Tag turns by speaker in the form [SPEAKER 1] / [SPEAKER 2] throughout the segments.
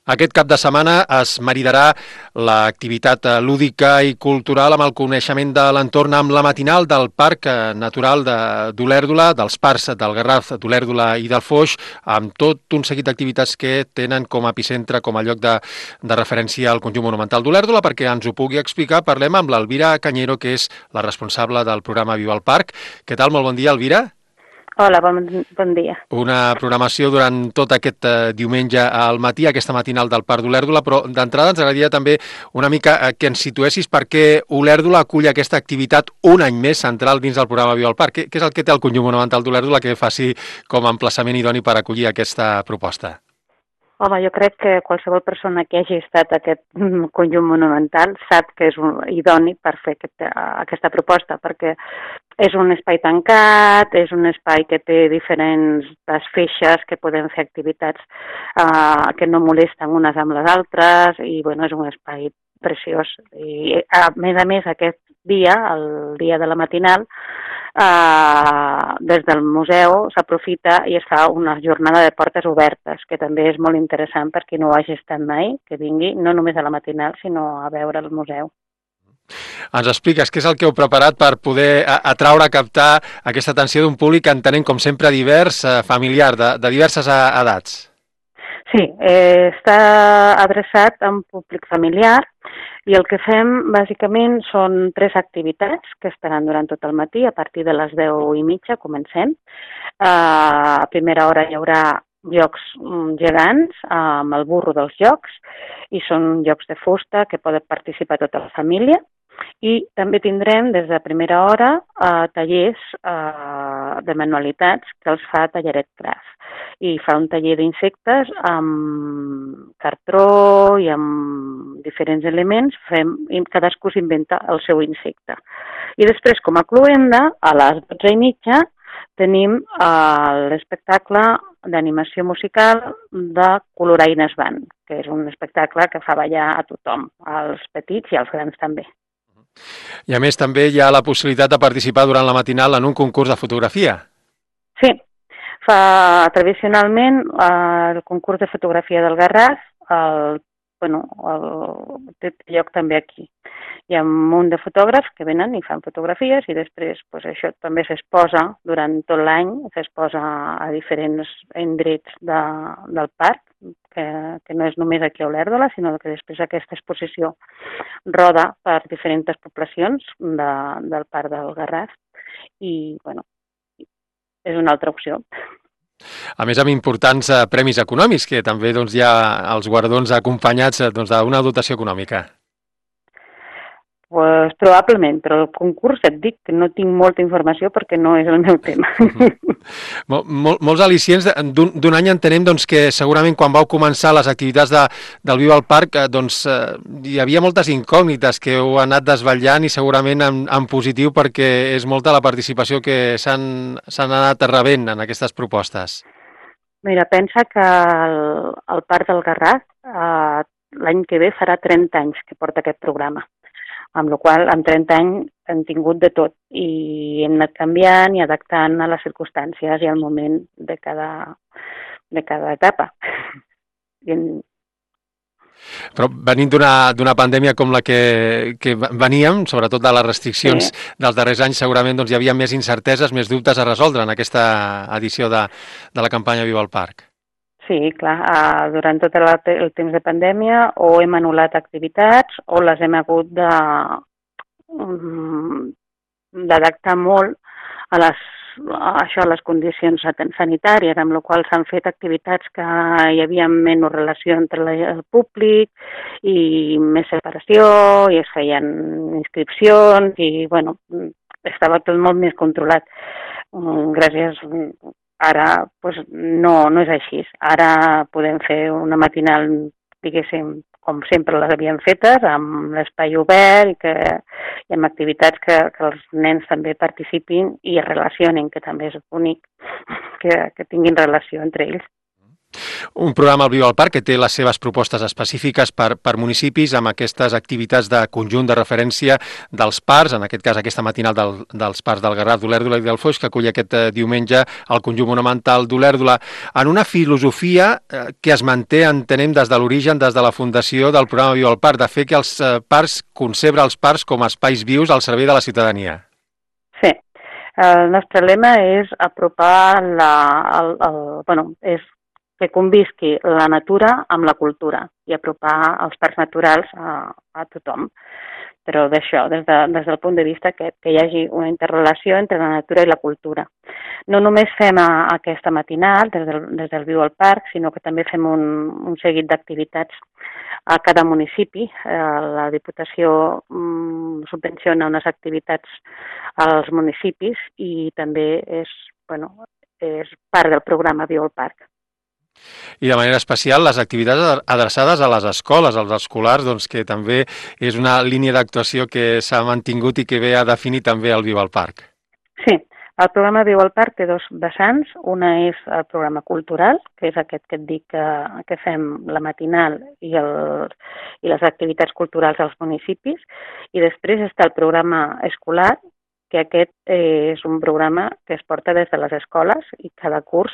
[SPEAKER 1] Aquest cap de setmana es maridarà l'activitat lúdica i cultural amb el coneixement de l'entorn amb la matinal del Parc Natural d'Olèrdola, dels parcs del Garraf, d'Olèrdola i del Foix, amb tot un seguit d'activitats que tenen com a epicentre, com a lloc de referència al conjunt monumental d'Olèrdola. Perquè ens ho pugui explicar, parlem amb l'Elvira Cañero, que és la responsable del programa Viva el Parc. Què tal? Molt bon dia, Elvira.
[SPEAKER 2] Hola, bon dia.
[SPEAKER 1] Una programació durant tot aquest diumenge al matí, aquesta matinal del Parc d'Olèrdola, però d'entrada ens agradaria també una mica que ens situessis per què Olèrdola acull aquesta activitat un any més central dins del programa Viva el Parc. Què és el que té el conjunt monumental d'Olèrdola que faci com a emplaçament idoni per acollir aquesta proposta?
[SPEAKER 2] Home, jo crec que qualsevol persona que hagi estat a aquest conjunt monumental sap que és idoni per fer aquesta proposta, perquè és un espai tancat, és un espai que té diferents feixes, que podem fer activitats que no molesten unes amb les altres, i bueno, és un espai preciós. I a més, aquest dia, el dia de la matinal, des del museu s'aprofita i es fa una jornada de portes obertes, que també és molt interessant per qui no ho hagi estat mai, que vingui no només a la matinal, sinó a veure el museu.
[SPEAKER 1] Ens expliques què és el que heu preparat per poder atraure, captar aquesta atenció d'un públic que entenem, com sempre, divers, familiar, de diverses edats?
[SPEAKER 2] Sí, està adreçat a un públic familiar i el que fem bàsicament són 3 activitats que estaran durant tot el matí. A partir de les 10:30 comencem. A primera hora hi haurà jocs gegants amb el burro dels jocs, i són jocs de fusta que poden participar tota la família. I també tindrem des de primera hora tallers de manualitats que els fa Talleret Craft. I fa un taller d'insectes amb cartró i amb diferents elements, i cadascú s'inventa el seu insecte. I després, com a cloenda, a les 12:30 tenim l'espectacle d'animació musical de Coloraines Band, que és un espectacle que fa ballar a tothom, als petits i als grans també.
[SPEAKER 1] I a més també hi ha la possibilitat de participar durant la matinal en un concurs de fotografia.
[SPEAKER 2] Sí, tradicionalment el concurs de fotografia del Garraf té lloc també aquí. Hi ha un munt de fotògrafs que venen i fan fotografies, i després això també s'exposa durant tot l'any, s'exposa a diferents indrets del parc, que no és només aquí a Olèrdola, sinó que després aquesta exposició roda per diferents poblacions del parc del Garraf, i bueno, és una altra opció.
[SPEAKER 1] A més, amb importants premis econòmics, que també hi ha els guardons acompanyats d'una dotació econòmica.
[SPEAKER 2] Pues, probablement, però el concurs et dic que no tinc molta informació perquè no és el meu tema.
[SPEAKER 1] Molts al·licients d'un any entenem que segurament quan vau començar les activitats del Viva al Parc hi havia moltes incògnites que heu anat desvetllant, i segurament en positiu, perquè és molta la participació que s'han anat rebent en aquestes propostes.
[SPEAKER 2] Mira, pensa que el Parc del Garraf l'any que ve farà 30 anys que porta aquest programa, amb la qual cosa en 30 anys hem tingut de tot i hem anat canviant i adaptant a les circumstàncies i al moment de cada etapa.
[SPEAKER 1] Però venint d'una pandèmia com la que veníem, sobretot de les restriccions dels darrers anys, segurament hi havia més incerteses, més dubtes a resoldre en aquesta edició de la campanya Viva el Parc.
[SPEAKER 2] Sí, clar, durant tot el temps de pandèmia o hem anul·lat activitats o les hem hagut d'adaptar molt a les condicions sanitàries, amb la qual s'han fet activitats que hi havia menys relació entre el públic i més separació, i es feien inscripcions i, bueno, estava tot molt més controlat. Gràcies. Ara no és així. Ara podem fer una matinal, diguéssim, com sempre les havíem fetes, amb l'espai obert i amb activitats que els nens també participin i es relacionin, que també és bonic que tinguin relació entre ells.
[SPEAKER 1] Un programa al Viu al Parc que té les seves propostes específiques per municipis amb aquestes activitats de conjunt de referència dels parcs, en aquest cas aquesta matinal dels parcs del Garraf, d'Olèrdola i del Foix, que acull aquest diumenge el conjunt monumental d'Olèrdola, en una filosofia que es manté, entenem, des de l'origen, des de la fundació del programa Viu al Parc, de fer que els parcs, concebre els parcs com a espais vius al servei de la ciutadania.
[SPEAKER 2] Sí. El nostre lema és apropar és que convisqui la natura amb la cultura i apropar els parcs naturals a tothom. Però d'això, des del punt de vista que hi hagi una interrelació entre la natura i la cultura. No només fem aquesta matinal des del Viu al Parc, sinó que també fem un seguit d'activitats a cada municipi. La Diputació subvenciona unes activitats als municipis i també és part del programa Viu al Parc.
[SPEAKER 1] I de manera especial les activitats adreçades a les escoles, als escolars, doncs, que també és una línia d'actuació que s'ha mantingut i que ve a definir també el Viu al Parc.
[SPEAKER 2] Sí, el programa Viu al Parc té dos vessants. Una és el programa cultural, que és aquest que et dic que fem la matinal i les activitats culturals als municipis, i després està el programa escolar, que aquest és un programa que es porta des de les escoles i cada curs,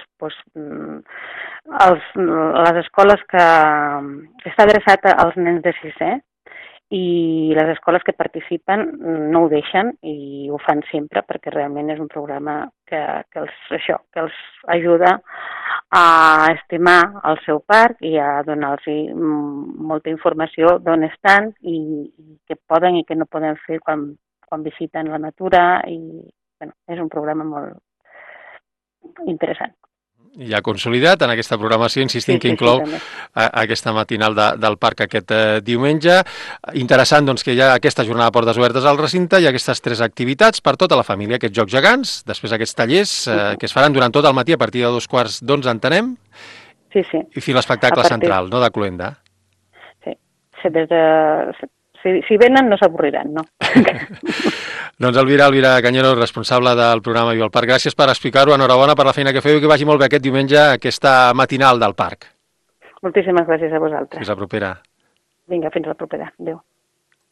[SPEAKER 2] les escoles que està adreçat als nens de sisè i les escoles que participen no ho deixen i ho fan sempre perquè realment és un programa que els ajuda a estimar el seu parc i a donar-los molta informació d'on estan i què poden i què no poden fer quan visiten la natura i és un programa molt interessant.
[SPEAKER 1] Ja consolidat en aquesta programació, insistim que inclou aquesta matinal del parc aquest diumenge. Interessant doncs, que hi ha aquesta jornada de portes obertes al recinte i aquestes 3 activitats per tota la família, aquests jocs gegants, després aquests tallers que es faran durant tot el matí a partir de 2:15, entenem?
[SPEAKER 2] Sí.
[SPEAKER 1] I fins l'espectacle central, no?, de Cluenda.
[SPEAKER 2] Sí, si venen no s'avorriran, no?
[SPEAKER 1] Doncs Elvira Cañero, responsable del programa Viu al Parc, gràcies per explicar-ho, enhorabona per la feina que feu i que vagi molt bé aquest diumenge, aquesta matinal del parc.
[SPEAKER 2] Moltíssimes gràcies a vosaltres.
[SPEAKER 1] Fins la propera.
[SPEAKER 2] Vinga, fins la propera. Adéu.